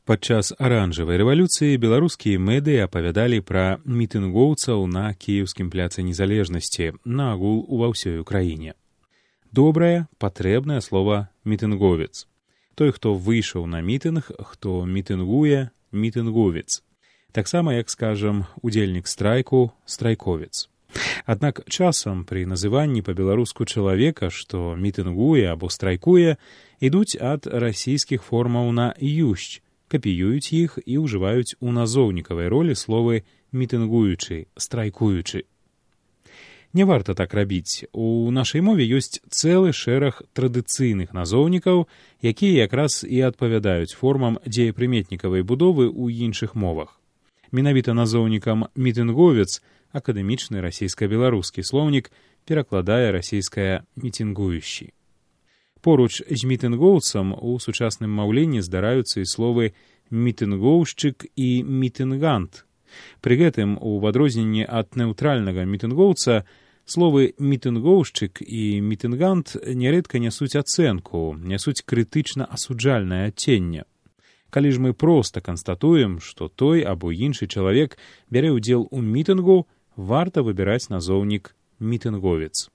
Падчас аранжавай рэвалюцыі беларускія медыі апавядалі пра мітынгоўцаў на кіеўскім пляцы незалежнасці, наагул ува ўсёй краіне. Добрае, патрэбнае слова мітынговец. Той, хто выйшаў на мітынг, хто мітынгуе, мітынговец. Таксама, як скажам, удзельнік страйку, страйковец. Аднак часам пры называнні па-беларуску чалавека, што мітынгуе або страйкуе, ідуць ад расійскіх формаў на «юсць», капіююць іх і ўжываюць у назоўнікавай ролі словы «мітынгуючы», «страйкуючы». Не варта так рабіць. У нашай мове ёсць цэлы шэраг традыцыйных назоўнікаў, якія якраз і адпавядаюць формам дзеепрыметнікавай будовы ў іншых мовах. Менавіта назоўнікам «мітынговец» акадэмічны расійска-беларускі слоўнік перакладае расійскае «мітынгуючы». Поруч з мітынгоўцам у сучасным маўленні здараюцца і словы «мітынгоўшчык» і «мітынгант». Пры гэтым, у адрозненні ад нэўтральнага мітынгоўца, словы «мітынгоўшчык» і «мітынгант» нярэдка нясуць ацэнку, нясуць крытычна-асуджальнае адценне. Калі ж мы проста канстатуем, што той або іншы чалавек бярэ ўдзел у мітынгу, варта выбіраць назоўнік «мітынговец».